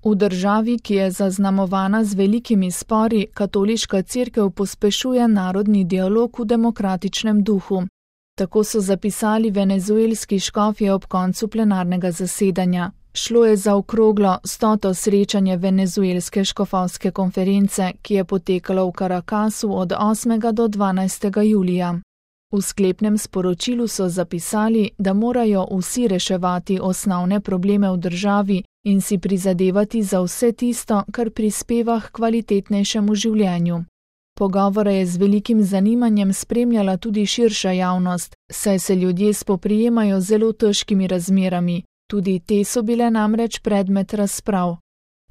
V državi, ki je zaznamovana z velikimi spori, katoliška cerkev pospešuje narodni dialog v demokratičnem duhu. Tako so zapisali venezuelski škofje ob koncu plenarnega zasedanja. Šlo je za okroglo 100. srečanje venezuelske škofovske konference, ki je potekalo v Caracasu od 8. do 12. julija. V sklepnem sporočilu so zapisali, da morajo vsi reševati osnovne probleme v državi in si prizadevati za vse tisto, kar prispeva k kvalitetnejšemu življenju. Pogovore je z velikim zanimanjem spremljala tudi širša javnost, saj se ljudje spoprijemajo z zelo težkimi razmerami. Tudi te so bile namreč predmet razprav.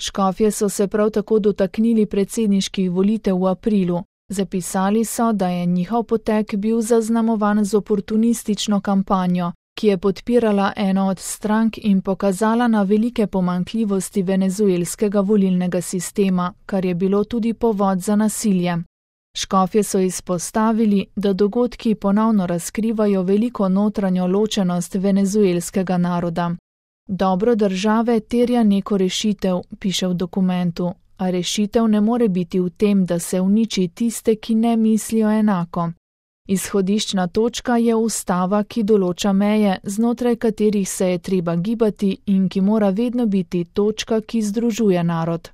Škofje so se prav tako dotaknili predsedniških volitev v aprilu. Zapisali so, da je njihov potek bil zaznamovan z oportunistično kampanjo, ki je podpirala eno od strank in pokazala na velike pomanjkljivosti venezuelskega volilnega sistema, kar je bilo tudi povod za nasilje. Škofje so izpostavili, da dogodki ponovno razkrivajo veliko notranjo ločenost venezuelskega naroda. Dobro države terja neko rešitev, piše v dokumentu, a rešitev ne more biti v tem, da se uniči tiste, ki ne mislijo enako. Izhodiščna točka je ustava, ki določa meje, znotraj katerih se je treba gibati in ki mora vedno biti točka, ki združuje narod.